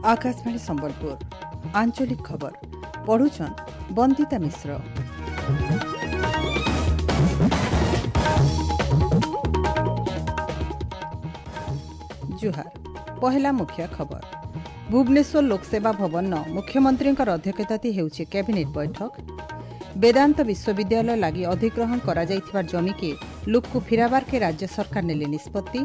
Akashvani Sambalpur आंचलिक खबर पढ़ुछन बंदिता मिश्र। जुहार। पहला मुख्य खबर। भुवनेश्वर लोकसेवा भवन मुख्यमंत्री अध्यक्षताती ହେଉଛି କ୍ୟାବିନେଟ୍ ବୈଠକ। ବେଦାନ୍ତ ବିଶ୍ୱବିଦ୍ୟାଳୟ ଲାଗି ଅଧିଗ୍ରହଣ କରାଯାଇଥିବା ଜମିକେ ଲୁକ୍କୁ ଫିରାବାର୍କେ ରାଜ୍ୟ ସରକାର ନେଲେ ନିଷ୍ପତ୍ତି।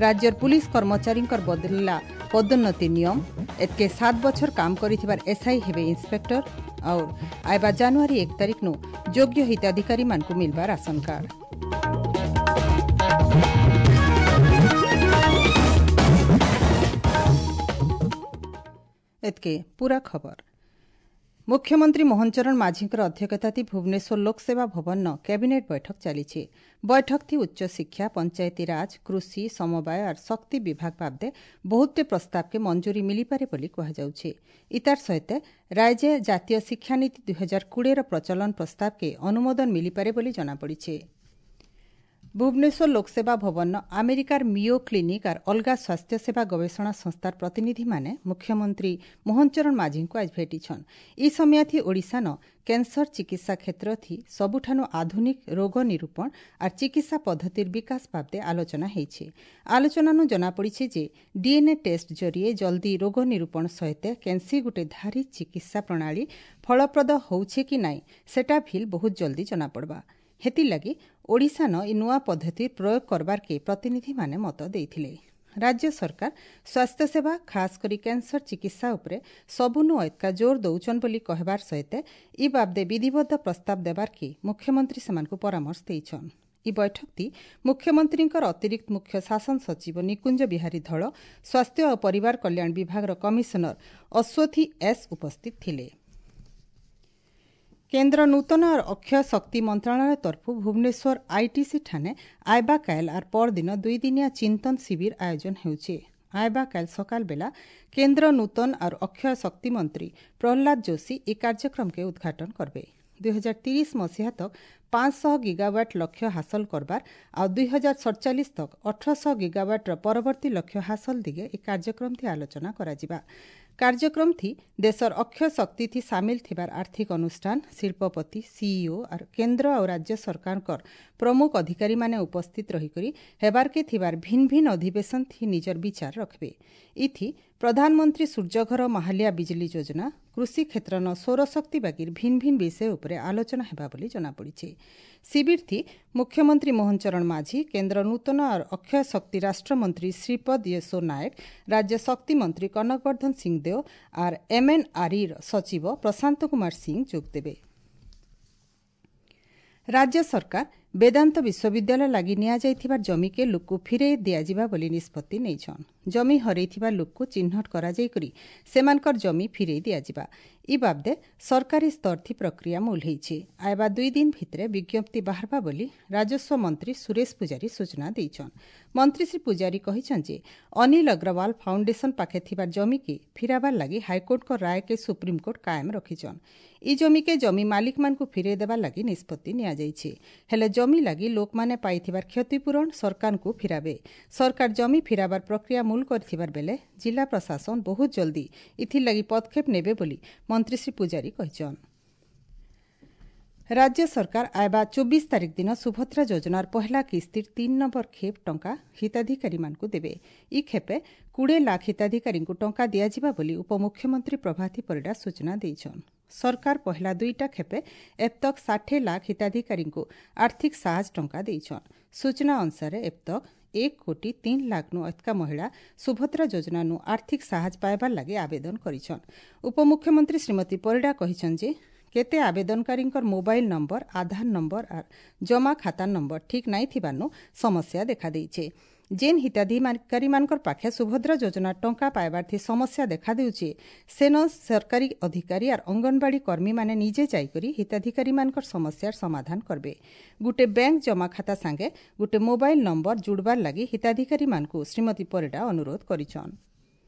ରାଜ୍ୟର ପୁଲିସ କର୍ମଚାରୀଙ୍କର ବଦଳିଲା ପଦୋନ୍ନତି ନିୟମ। ଏତ୍କେ 7 ବଛର କାମ କରିଥିବାର ଏସ୍ଆଇ ହେବେ ଇନ୍ସପେକ୍ଟର। ଆଉ ଆଇବା ଜାନୁଆରୀ 1 ତାରିଖନୁ ଯୋଗ୍ୟ ହିତାଧିକାରୀମାନଙ୍କୁ ମିଲବା ରାସନ କାର୍ଡ। ଏତ୍କେ पूरा खबर। मुख्यमंत्री मोहन चरण माझीଙ୍କର ଅଧ୍ୟକ୍ଷତାତି ଭୁବନେଶ୍ୱର ଲୋକସେବା ଭବନ କ୍ୟାବିନେଟ୍ ବୈଠକ ଚାଲିଛି। ବୈଠକ ଥି ଉଚ୍ଚ ଶିକ୍ଷା, ପଞ୍ଚାୟତି ରାଜ, କୃଷି, ସମବାୟ ଆର୍ ଶକ୍ତି ବିଭାଗ ବାବଦେ ବହୁତଟେ ପ୍ରସ୍ତାବକେ ମଞ୍ଜୁରୀ ମିଳିପାରେ ବୋଲି କୁହାଯାଉଛି। ଇତାର ସହିତ ରାଜ୍ୟ ଜାତୀୟ ଶିକ୍ଷାନୀତି 2020ର ପ୍ରଚଳନ ପ୍ରସ୍ତାବକେ ଅନୁମୋଦନ ମିଳିପାରେ ବୋଲି ଜଣାପଡ଼ିଛି। ଭୁବନେଶ୍ୱର ଲୋକସେବା ଭବନ ଆମେରିକାର ମିଓ କ୍ଲିନିକ୍ ଆର୍ ଅଲଗା ସ୍ୱାସ୍ଥ୍ୟସେବା ଗବେଷଣା ସଂସ୍ଥାର ପ୍ରତିନିଧିମାନେ ମୁଖ୍ୟମନ୍ତ୍ରୀ ମୋହନ ଚରଣ ମାଝୀଙ୍କୁ ଆଜ ଭେଟିଛନ୍। ଇ ସମୟାଥି ଓଡ଼ିଶାନ କ୍ୟାନ୍ସର ଚିକିତ୍ସା କ୍ଷେତ୍ରଥି ସବୁଠାନୁ ଆଧୁନିକ ରୋଗ ନିରୂପଣ ଆର୍ ଚିକିତ୍ସା ପଦ୍ଧତିର ବିକାଶ ବାବଦେ ଆଲୋଚନା ହେଇଛି। ଆଲୋଚନାନୁ ଜଣାପଡ଼ିଛି ଯେ ଡିଏନ୍ଏ ଟେଷ୍ଟ ଜରିଏ ଜଲ୍ଦି ରୋଗ ନିରୂପଣ ସହିତ କ୍ୟାନ୍ସି ଗୁଟେ ଧାରି ଚିକିତ୍ସା ପ୍ରଣାଳୀ ଫଳପ୍ରଦ ହଉଛେ କି ନାଇଁ ସେଟା ଭିଲ୍ ବହୁତ ଜଲ୍ଦି ଜଣାପଡ଼ବା। ହେଥିର୍ଲାଗି ଓଡ଼ିଶାନ ଇ ନୂଆ ପଦ୍ଧତି ପ୍ରୟୋଗ କରବାର୍କେ ପ୍ରତିନିଧିମାନେ ମତ ଦେଇଥିଲେ। ରାଜ୍ୟ ସରକାର ସ୍ୱାସ୍ଥ୍ୟସେବା ଖାସ୍ କରି କ୍ୟାନ୍ସର ଚିକିତ୍ସା ଉପରେ ସବୁନୁ ଏତ୍କା ଜୋର ଦଉଛନ୍ ବୋଲି କହିବାର ସହିତ ଇ ବାବଦେ ବିଧିବଦ୍ଧ ପ୍ରସ୍ତାବ ଦେବାର୍କେ ମୁଖ୍ୟମନ୍ତ୍ରୀ ସେମାନଙ୍କୁ ପରାମର୍ଶ ଦେଇଛନ୍। ଇ ବୈଠକଟି ମୁଖ୍ୟମନ୍ତ୍ରୀଙ୍କର ଅତିରିକ୍ତ ମୁଖ୍ୟ ଶାସନ ସଚିବ ନିକୁଞ୍ଜ ବିହାରୀ ଧଳ, ସ୍ୱାସ୍ଥ୍ୟ ଓ ପରିବାର କଲ୍ୟାଣ ବିଭାଗର କମିଶନର ଅଶ୍ୱଥୀ ଏସ୍ ଉପସ୍ଥିତ ଥିଲେ। କେନ୍ଦ୍ର ନୂତନ ଅକ୍ଷୟ ଶକ୍ତି ମନ୍ତ୍ରଣାଳୟ ତରଫୁ ଭୁବନେଶ୍ୱର ଆଇଟିସି ଠାନେ ଆଇବା କାଏଲ ଆର୍ ପରଦିନ 2 ଦିନିଆ ଚିନ୍ତନ ଶିବିର ଆୟୋଜନ ହେଉଛି। ଆଇବା କାଏଲ ସକାଳ ବେଲା କେନ୍ଦ୍ର ନୂତନ ଆର୍ ଅକ୍ଷୟ ଶକ୍ତି ମନ୍ତ୍ରୀ ପ୍ରହ୍ଲାଦ ଯୋଶୀ ଏ କାର୍ଯ୍ୟକ୍ରମକେ ଉଦ୍ଘାଟନ କରବେ। 2030 ମସିହା ତକ୍ 500 ଗିଗାୱାଟ୍ ଲକ୍ଷ୍ୟ ହାସଲ କରବାର ଆଉ 2047 ତକ୍ 1800 ଗିଗାୱାଟ୍ର ପରବର୍ତ୍ତୀ ଲକ୍ଷ୍ୟ ହାସଲ ଦିଗେ ଏ କାର୍ଯ୍ୟକ୍ରମଥି ଆଲୋଚନା କରାଯିବା। କାର୍ଯ୍ୟକ୍ରମଥି ଦେଶର ଅକ୍ଷୟ ଶକ୍ତିଥି ସାମିଲ ଥିବାର ଆର୍ଥିକ ଅନୁଷ୍ଠାନ, ଶିଳ୍ପପତି, ସିଇଓ ଆର୍ କେନ୍ଦ୍ର ଆଉ ରାଜ୍ୟ ସରକାରଙ୍କର ପ୍ରମୁଖ ଅଧିକାରୀମାନେ ଉପସ୍ଥିତ ରହିକରି ହେବାର୍କେ ଥିବାର ଭିନ୍ନ ଭିନ୍ନ ଅଧିବେଶନ ଥି ନିଜର ବିଚାର ରଖବେ। ଇଥି ପ୍ରଧାନମନ୍ତ୍ରୀ ସୂର୍ଯ୍ୟଘର ମାହାଲିଆ ବିଜୁଳି ଯୋଜନା, କୃଷି କ୍ଷେତ୍ରନ ସୌରଶକ୍ତି ବାଗିର ଭିନ୍ନ ଭିନ୍ନ ବିଷୟ ଉପରେ ଆଲୋଚନା ହେବା ବୋଲି ଜଣାପଡ଼ିଛି। ଶିବିରଥି ମୁଖ୍ୟମନ୍ତ୍ରୀ ମୋହନ ଚରଣ ମାଝୀ, କେନ୍ଦ୍ର ନୂତନ ଅକ୍ଷୟ ଶକ୍ତି ରାଷ୍ଟ୍ରମନ୍ତ୍ରୀ ଶ୍ରୀପଦ ୟେଶୋ ନାୟକ, ରାଜ୍ୟ ଶକ୍ତି ମନ୍ତ୍ରୀ କନକବର୍ଦ୍ଧନ ସିଂଦେଓ ଆର୍ ଏମ୍ଏନ୍ଆର୍ଇର ସଚିବ ପ୍ରଶାନ୍ତ କୁମାର ସିଂ ଯୋଗଦେବେ। ରାଜ୍ୟ ସରକାର ବେଦାନ୍ତ ବିଶ୍ୱବିଦ୍ୟାଳୟ ଲାଗି ନିଆଯାଇଥିବା ଜମିକେ ଲୁକ୍କୁ ଫିରେଇ ଦିଆଯିବା ବୋଲି ନିଷ୍ପତ୍ତି ନେଇଛନ୍। ଜମି ହରେଇଥିବା ଲୁକ୍କୁ ଚିହ୍ନଟ କରାଯାଇକରି ସେମାନଙ୍କର ଜମି ଫିରେଇ ଦିଆଯିବା। ଇ ବାବଦେ ସରକାରୀ ସ୍ତରଥି ପ୍ରକ୍ରିୟା ମୂଲ ହେଇଛି। ଆଇବା 2 ଦିନ ଭିତରେ ବିଜ୍ଞପ୍ତି ବାହାରବା ବୋଲି ରାଜସ୍ୱ ମନ୍ତ୍ରୀ ସୁରେଶ ପୂଜାରୀ ସୂଚନା ଦେଇଛନ୍। ମନ୍ତ୍ରୀ ଶ୍ରୀ ପୂଜାରୀ କହିଛନ୍ତି ଯେ ଅନିଲ ଅଗ୍ରୱାଲ ଫାଉଣ୍ଡେସନ ପାଖେ ଥିବା ଜମିକେ ଫିରାବାର ଲାଗି ହାଇକୋର୍ଟଙ୍କ ରାୟକେ ସୁପ୍ରିମକୋର୍ଟ କାଏମ ରଖିଛନ୍। ଇ ଜମିକେ ଜମି ମାଲିକମାନଙ୍କୁ ଫିରେଇ ଦେବାର ଲାଗି ନିଷ୍ପତ୍ତି ନିଆଯାଇଛି। ହେଲେ ଜମି ଲାଗି ଲୋକମାନେ ପାଇଥିବାର କ୍ଷତିପୂରଣ ସରକାରଙ୍କୁ ଫିରାବେ। ସରକାର ଜମି ଫିରାବାର ପ୍ରକ୍ରିୟା ମୂଲ କରିଥିବାର ବେଲେ ଜିଲ୍ଲା ପ୍ରଶାସନ ବହୁତ ଜଲ୍ଦି ଏଥିର୍ଲାଗି ପଦକ୍ଷେପ ନେବେ ବୋଲି ମନ୍ତ୍ରୀ ଶ୍ରୀ ପୂଜାରୀ କହିଛନ୍। ରାଜ୍ୟ ସରକାର ଆଇବା 24 ତାରିଖ ଦିନ ସୁଭଦ୍ରା ଯୋଜନାର ପହଲା କିସ୍ତିର 3 ନମ୍ବର ଖେପ୍ ଟଙ୍କା ହିତାଧିକାରୀମାନଙ୍କୁ ଦେବେ। ଇ ଖେପେ 20 ଲାଖ ହିତାଧିକାରୀଙ୍କୁ ଟଙ୍କା ଦିଆଯିବା ବୋଲି ଉପମୁଖ୍ୟମନ୍ତ୍ରୀ ପ୍ରଭାତୀ ପରିଡ଼ା ସୂଚନା ଦେଇଛନ୍। ସରକାର ପହଲା 2ଟା ଖେପେ ଏବତକ 60 ଲାଖ ହିତାଧିକାରୀଙ୍କୁ ଆର୍ଥିକ ସାହାଯ୍ୟ ଟଙ୍କା ଦେଇଛନ୍। ସୂଚନା ଅନୁସାରେ ଏବତକ 1 କୋଟି 3 ଲାଖନୁ ଅଧିକା ମହିଳା ସୁଭଦ୍ରା ଯୋଜନାନୁ ଆର୍ଥିକ ସାହାଯ୍ୟ ପାଇବାର ଲାଗି ଆବେଦନ କରିଛନ୍। ଉପମୁଖ୍ୟମନ୍ତ୍ରୀ ଶ୍ରୀମତୀ ପରିଡ଼ା କହିଛନ୍ ଯେ କେତେ ଆବେଦନକାରୀଙ୍କର ମୋବାଇଲ ନମ୍ବର, ଆଧାର ନମ୍ବର ଆର୍ ଜମା ଖାତା ନମ୍ବର ଠିକ୍ ନାଇଁ ଥିବାନୁ ସମସ୍ୟା ଦେଖାଦେଇଛେ। ଯେନ୍ ହିତାଧିକାରୀମାନଙ୍କର ପାଖେ ସୁଭଦ୍ରା ଯୋଜନା ଟଙ୍କା ପାଇବାର୍ଥି ସମସ୍ୟା ଦେଖାଦେଉଛି, ସେନ ସରକାରୀ ଅଧିକାରୀ ଆର୍ ଅଙ୍ଗନବାଡ଼ି କର୍ମୀମାନେ ନିଜେ ଯାଇକରି ହିତାଧିକାରୀମାନଙ୍କର ସମସ୍ୟାର ସମାଧାନ କରବେ। ଗୁଟେ ବ୍ୟାଙ୍କ ଜମା ଖାତା ସାଙ୍ଗେ ଗୁଟେ ମୋବାଇଲ ନମ୍ବର ଜୁଡ଼ବାର ଲାଗି ହିତାଧିକାରୀମାନଙ୍କୁ ଶ୍ରୀମତୀ ପରିଡ଼ା ଅନୁରୋଧ କରିଛନ୍।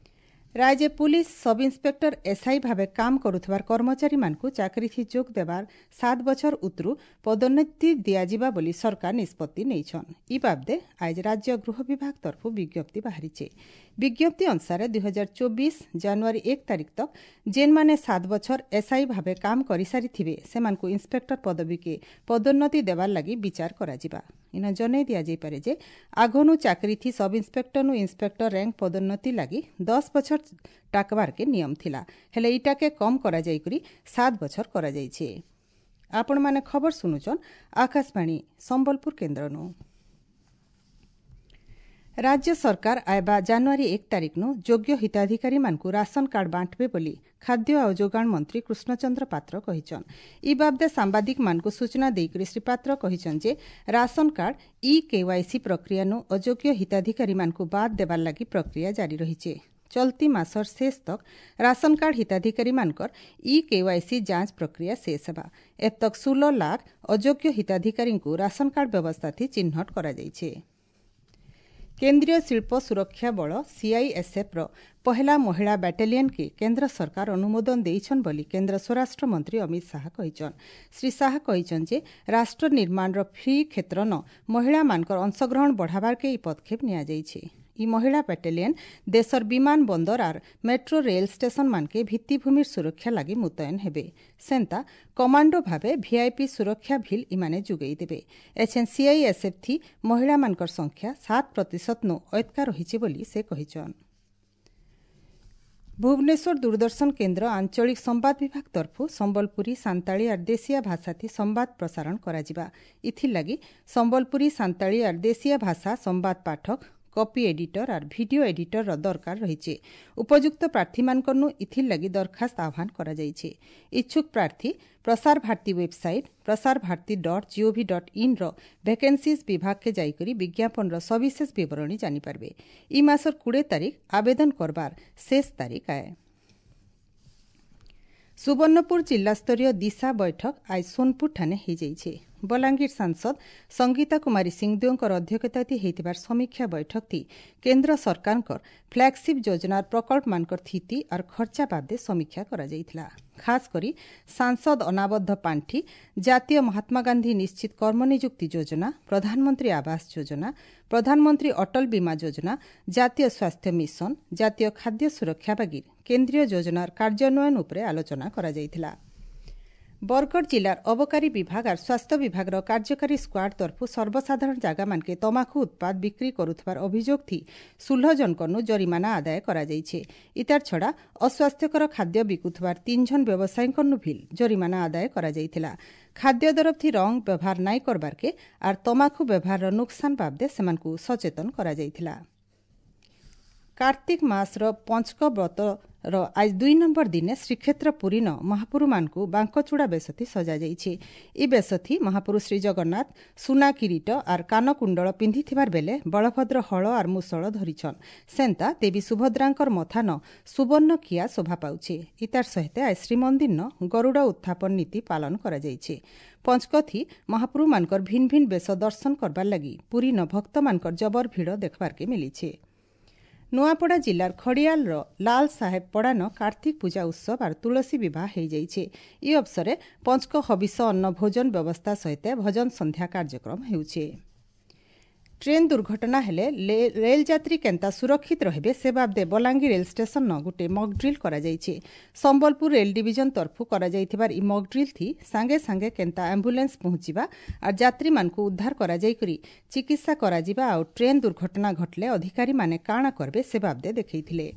ରାଜ୍ୟ ପୁଲିସ ସବ୍ ଇନ୍ସପେକ୍ଟର ଏସ୍ଆଇ ଭାବେ କାମ କରୁଥିବାର କର୍ମଚାରୀମାନଙ୍କୁ ଚାକିରିଥି ଯୋଗ ଦେବାର 7 ବଛର ଉତରୁ ପଦୋନ୍ନତି ଦିଆଯିବା ବୋଲି ସରକାର ନିଷ୍ପତ୍ତି ନେଇଛନ୍। ଇ ବାବଦେ ଆজ ରାଜ୍ୟ ଗୃହ ବିଭାଗ ତରଫରୁ ବିଜ୍ଞପ୍ତି ବାହାରିছে। ବିଜ୍ଞପ୍ତି ଅନୁସାରେ 2024 ଜାନୁଆରୀ 1 ତାରିଖ ତକ୍ ଯେନ୍ମାନେ 7 ବଛର ଏସ୍ଆଇ ଭାବେ କାମ କରିସାରିଥିବେ, ସେମାନଙ୍କୁ ଇନ୍ସପେକ୍ଟର ପଦବୀକେ ପଦୋନ୍ନତି ଦେବାର ଲାଗି ବିଚାର କରାଯିବା। ଇନ ଜଣାଇ ଦିଆଯାଇପାରେ ଯେ ଆଗନୁ ଚାକିରିଥି ସବ୍ ଇନ୍ସପେକ୍ଟରନୁ ଇନ୍ସପେକ୍ଟର ର୍ୟାଙ୍କ ପଦୋନ୍ନତି ଲାଗି 10 ବଛର ଟାକବାରକେ ନିୟମ ଥିଲା, ହେଲେ ଇଟାକେ କମ୍ କରାଯାଇକରି 7 ବଛର କରାଯାଇଛି। ଆପଣମାନେ ଖବର ଶୁଣୁଛନ୍ ଆକାଶବାଣୀ ସମ୍ବଲପୁର କେନ୍ଦ୍ରନୁ। ରାଜ୍ୟ ସରକାର ଆଇବା ଜାନୁଆରୀ 1 ତାରିଖନୁ ଯୋଗ୍ୟ ହିତାଧିକାରୀମାନଙ୍କୁ ରାସନ କାର୍ଡ ବାଣ୍ଟବେ ବୋଲି ଖାଦ୍ୟ ଆଉ ଯୋଗାଣ ମନ୍ତ୍ରୀ କୃଷ୍ଣଚନ୍ଦ୍ର ପାତ୍ର କହିଛନ୍। ଇ ବାବଦେ ସାମ୍ବାଦିକମାନଙ୍କୁ ସୂଚନା ଦେଇକରି ଶ୍ରୀ ପାତ୍ର କହିଛନ୍ ଯେ ରାସନ କାର୍ଡ ଇ କେୱାଇସି ପ୍ରକ୍ରିୟାନୁ ଅଯୋଗ୍ୟ ହିତାଧିକାରୀମାନଙ୍କୁ ବାଦ୍ ଦେବାର ଲାଗି ପ୍ରକ୍ରିୟା ଜାରି ରହିছে। ଚଲତି ମାସର ଶେଷ ତକ୍ ରାସନ କାର୍ଡ ହିତାଧିକାରୀମାନଙ୍କର ଇ କେୱାଇସି ଯାଞ୍ଚ ପ୍ରକ୍ରିୟା ଶେଷ ହେବା। ଏତକ୍ 16 ଲାଖ ଅଯୋଗ୍ୟ ହିତାଧିକାରୀଙ୍କୁ ରାସନ କାର୍ଡ ବ୍ୟବସ୍ଥାଥି ଚିହ୍ନଟ କରାଯାଇଛି। କେନ୍ଦ୍ରୀୟ ଶିଳ୍ପ ସୁରକ୍ଷା ବଳ ସିଆଇଏସ୍ଏଫ୍ର ପହେଲା ମହିଳା ବାଟାଲିୟନ୍କେ କେନ୍ଦ୍ର ସରକାର ଅନୁମୋଦନ ଦେଇଛନ୍ ବୋଲି କେନ୍ଦ୍ର ସ୍ୱରାଷ୍ଟ୍ର ମନ୍ତ୍ରୀ ଅମିତ ଶାହା କହିଛନ୍। ଶ୍ରୀ ଶାହା କହିଛନ୍ ଯେ ରାଷ୍ଟ୍ର ନିର୍ମାଣର ଫ୍ରି କ୍ଷେତ୍ରନ ମହିଳାମାନଙ୍କର ଅଂଶଗ୍ରହଣ ବଢ଼ାବାର୍କେ ଏହି ପଦକ୍ଷେପ ନିଆଯାଇଛି। ଇ ମହିଳା ବାଟାଲିୟନ୍ ଦେଶର ବିମାନ ବନ୍ଦର ଆର୍ ମେଟ୍ରୋ ରେଲ୍ ଷ୍ଟେସନ ମାନକେ ଭିତ୍ତିଭୂମିର ସୁରକ୍ଷା ଲାଗି ମୁତୟନ ହେବେ। ସେନ୍ତା କମାଣ୍ଡୋ ଭାବେ ଭିଆଇପି ସୁରକ୍ଷା ଭିଲ୍ ଇମାନେ ଯୋଗାଇ ଦେବେ। ଏଛେନ୍ ସିଆଇଏସ୍ଏଫ୍ ଥି ମହିଳାମାନଙ୍କର ସଂଖ୍ୟା 7% ନୁ ଅଏତକା ରହିଛି ବୋଲି ସେ କହିଛନ୍। ଭୁବନେଶ୍ୱର ଦୂରଦର୍ଶନ କେନ୍ଦ୍ର ଆଞ୍ଚଳିକ ସମ୍ବାଦ ବିଭାଗ ତରଫରୁ ସମ୍ବଲପୁରୀ, ସାନ୍ତାଳୀ ଆର୍ ଦେଶିଆ ଭାଷାଥି ସମ୍ବାଦ ପ୍ରସାରଣ କରାଯିବା। ଇଥିର୍ଲାଗି ସମ୍ବଲପୁରୀ, ସାନ୍ତାଳୀ ଆର୍ ଦେଶିଆ ଭାଷା ସମ୍ବାଦ ପାଠକ, କପି ଏଡିଟର ଆର୍ ଭିଡିଓ ଏଡିଟରର ଦରକାର ରହିଛି। ଉପଯୁକ୍ତ ପ୍ରାର୍ଥୀମାନଙ୍କରନୁ ଇଥିର୍ଲାଗି ଦରଖାସ୍ତ ଆହ୍ୱାନ କରାଯାଇଛି। ଇଚ୍ଛୁକ ପ୍ରାର୍ଥୀ ପ୍ରସାର ଭାରତୀ ୱେବସାଇଟ୍ prasarbharati.gov.in ର ଭେକେନ୍ସିଜ୍ ବିଭାଗକେ ଯାଇକରି ବିଜ୍ଞାପନର ସବିଶେଷ ବିବରଣୀ ଜାଣିପାରିବେ। ଇ ମାସର 20 ତାରିଖ ଆବେଦନ କରବାର ଶେଷ ତାରିଖ ଆଏ। ସୁବର୍ଣ୍ଣପୁର ଜିଲ୍ଲାସ୍ତରୀୟ ଦିଶା ବୈଠକ ଆজ ସୋନପୁର ଠାନେ ହୋଇଯାଇଛି। ବଲାଙ୍ଗୀର ସାଂସଦ ସଂଗୀତା କୁମାରୀ ସିଂଦେଓଙ୍କର ଅଧ୍ୟକ୍ଷତାଥି ହୋଇଥିବାର ସମୀକ୍ଷା ବୈଠକଥି କେନ୍ଦ୍ର ସରକାରଙ୍କର ଫ୍ଲାଗସିପ୍ ଯୋଜନାର ପ୍ରକଳ୍ପମାନଙ୍କର ସ୍ଥିତି ଆର୍ ଖର୍ଚ୍ଚା ବାବଦେ ସମୀକ୍ଷା କରାଯାଇଥିଲା। ଖାସ୍ କରି ସାଂସଦ ଅନାବଦ୍ଧ ପାଣ୍ଠି, ଜାତୀୟ ମହାତ୍ମା ଗାନ୍ଧୀ ନିଶ୍ଚିତ କର୍ମନିଯୁକ୍ତି ଯୋଜନା, ପ୍ରଧାନମନ୍ତ୍ରୀ ଆବାସ ଯୋଜନା, ପ୍ରଧାନମନ୍ତ୍ରୀ ଅଟଳ ବୀମା ଯୋଜନା, ଜାତୀୟ ସ୍ୱାସ୍ଥ୍ୟ ମିଶନ, ଜାତୀୟ ଖାଦ୍ୟ ସୁରକ୍ଷା ବାଗିର କେନ୍ଦ୍ରୀୟ ଯୋଜନାର କାର୍ଯ୍ୟାନ୍ୱୟନ ଉପରେ ଆଲୋଚନା କରାଯାଇଥିଲା। ବରଗଡ଼ ଜିଲ୍ଲାର ଅବକାରୀ ବିଭାଗ ଆର୍ ସ୍ୱାସ୍ଥ୍ୟ ବିଭାଗର କାର୍ଯ୍ୟକାରୀ ସ୍କ୍ୱାଡ୍ ତରଫରୁ ସର୍ବସାଧାରଣ ଜାଗାମାନକେ ତମାଖୁ ଉତ୍ପାଦ ବିକ୍ରି କରୁଥିବାର ଅଭିଯୋଗ ଥି 16 ଜଣକନୁ ଜରିମାନା ଆଦାୟ କରାଯାଇଛି। ଇତାର ଛଡ଼ା ଅସ୍ୱାସ୍ଥ୍ୟକର ଖାଦ୍ୟ ବିକୁଥିବାର 3 ଜଣ ବ୍ୟବସାୟୀଙ୍କନୁ ଭିଲ୍ ଜରିମାନା ଆଦାୟ କରାଯାଇଥିଲା। ଖାଦ୍ୟ ଦରଫଥି ରଙ୍ଗ ବ୍ୟବହାର ନାଇଁ କରବାର୍କେ ଆର୍ ତମାଖୁ ବ୍ୟବହାରର ନୁକସାନ ବାବଦେ ସେମାନଙ୍କୁ ସଚେତନ କରାଯାଇଥିଲା। କାର୍ତ୍ତିକ ମାସର ପଞ୍ଚକ ବ୍ରତର ଆଜ 2 ନମ୍ବର ଦିନେ ଶ୍ରୀକ୍ଷେତ୍ର ପୁରୀନ ମହାପୁରୁମାନଙ୍କୁ ବାଙ୍କଚୂଡ଼ା ବେଶଥି ସଜାଯାଇଛି। ଇ ବେଶଥି ମହାପୁରୁ ଶ୍ରୀଜଗନ୍ନାଥ ସୁନା କିରୀଟ ଆର୍ କାନକୁଣ୍ଡଳ ପିନ୍ଧିଥିବାର ବେଲେ ବଳଭଦ୍ର ହଳ ଆର୍ ମୁସଳ ଧରିଛନ୍। ସେନ୍ତା ଦେବୀ ସୁଭଦ୍ରାଙ୍କର ମଥାନ ସୁବର୍ଣ୍ଣ କିଆ ଶୋଭା ପାଉଛି। ଇତାର ସହିତ ଆଜ ଶ୍ରୀମନ୍ଦିରନ ଗରୁଡ଼ ଉତ୍ଥାପନ ନୀତି ପାଳନ କରାଯାଇଛି। ପଞ୍ଚକଥି ମହାପୁରୁମାନଙ୍କର ଭିନ୍ ଭିନ୍ ବେଶ ଦର୍ଶନ କରବାର ଲାଗି ପୁରୀନ ଭକ୍ତମାନଙ୍କର ଜବର ଭିଡ଼ ଦେଖବାର୍କେ ମିଳିছে। ନୂଆପଡ଼ା ଜିଲ୍ଲାର ଖଡ଼ିଆଲର ଲାଲ ସାହେବ ପଡ଼ାନ କାର୍ତ୍ତିକ ପୂଜା ଉତ୍ସବ ଆର୍ ତୁଳସୀ ବିବାହ ହୋଇଯାଇଛି। ଇ ଅବସରେ ପଞ୍ଚକ ହବିଷ ଅନ୍ନ ଭୋଜନ ବ୍ୟବସ୍ଥା ସହିତ ଭଜନ ସନ୍ଧ୍ୟା କାର୍ଯ୍ୟକ୍ରମ ହେଉଛି। ଟ୍ରେନ୍ ଦୁର୍ଘଟଣା ହେଲେ ରେଲଯାତ୍ରୀ କେନ୍ତା ସୁରକ୍ଷିତ ରହିବେ ସେ ବାବଦେ ବଲାଙ୍ଗୀର ରେଲ୍ ଷ୍ଟେସନ ଗୋଟିଏ ମକ୍ ଡ୍ରିଲ୍ କରାଯାଇଛି। ସମ୍ବଲପୁର ରେଲ୍ ଡିଭିଜନ ତରଫରୁ କରାଯାଇଥିବାର ଇ ମକ୍ ଡ୍ରିଲ୍ ଥି ସାଙ୍ଗେ ସାଙ୍ଗେ କେନ୍ତା ଆମ୍ବୁଲାନ୍ସ ପହଞ୍ଚିବା ଆର୍ ଯାତ୍ରୀମାନଙ୍କୁ ଉଦ୍ଧାର କରାଯାଇକରି ଚିକିତ୍ସା କରାଯିବା ଆଉ ଟ୍ରେନ୍ ଦୁର୍ଘଟଣା ଘଟିଲେ ଅଧିକାରୀମାନେ କାଣା କରିବେ ସେ ବାବଦେ ଦେଖାଇଥିଲେ।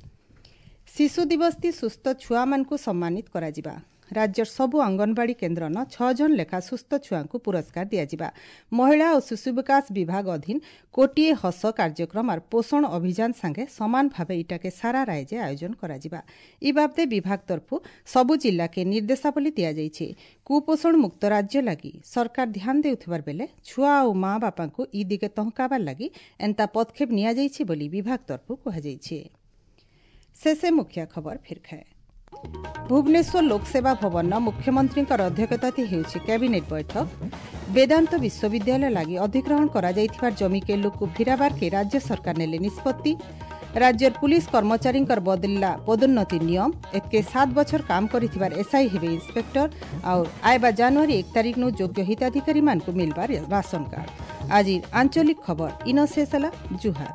ଶିଶୁ ଦିବସଥି ସୁସ୍ଥ ଛୁଆମାନଙ୍କୁ ସମ୍ମାନିତ କରାଯିବା। ରାଜ୍ୟର ସବୁ ଅଙ୍ଗନବାଡ଼ି କେନ୍ଦ୍ରନ 6 ଜଣ ଲେଖା ସୁସ୍ଥ ଛୁଆଙ୍କୁ ପୁରସ୍କାର ଦିଆଯିବା। ମହିଳା ଓ ଶିଶୁ ବିକାଶ ବିଭାଗ ଅଧୀନ କୋଟିଏ ହସ କାର୍ଯ୍ୟକ୍ରମ ଆର୍ ପୋଷଣ ଅଭିଯାନ ସାଙ୍ଗେ ସମାନ ଭାବେ ଇଟାକେ ସାରା ରାଜ୍ୟରେ ଆୟୋଜନ କରାଯିବା। ଇ ବାବଦେ ବିଭାଗ ତରଫରୁ ସବୁ ଜିଲ୍ଲାକେ ନିର୍ଦ୍ଦେଶାବଳୀ ଦିଆଯାଇଛି। କୁପୋଷଣ ମୁକ୍ତ ରାଜ୍ୟ ଲାଗି ସରକାର ଧ୍ୟାନ ଦେଉଥିବାର ବେଲେ ଛୁଆ ଆଉ ମା ବାପାଙ୍କୁ ଇ ଦିଗେ ତହକାବାର ଲାଗି ଏନ୍ତା ପଦକ୍ଷେପ ନିଆଯାଇଛି ବୋଲି ବିଭାଗ ତରଫରୁ କୁହାଯାଇଛି। ଶେଷେ ମୁଖ୍ୟ ଖବର ଫିର୍ ଖାଏ। ଭୁବନେଶ୍ୱର ଲୋକସେବା ଭବନ ମୁଖ୍ୟମନ୍ତ୍ରୀଙ୍କର ଅଧ୍ୟକ୍ଷତାରେ ହେଉଛି କ୍ୟାବିନେଟ୍ ବୈଠକ। ବେଦାନ୍ତ ବିଶ୍ୱବିଦ୍ୟାଳୟ ଲାଗି ଅଧିଗ୍ରହଣ କରାଯାଇଥିବା ଜମିକେ ଲୋକକୁ ଫେରାବାର୍କେ ରାଜ୍ୟ ସରକାର ନେଲେ ନିଷ୍ପତ୍ତି। राज्यर पुलिस कर्मचारीଙ୍କର बदलला पदोन्नति नियम। एतके 7 बछर काम करिथिबार एसआई हेबे इंस्पेक्टर और आयबा जनवरी 1 तारीख नु योग्य हिताधिकारी मानकु मिलबार राशन कार्ड। आज आंचलिक खबर इन शेष। जुहार।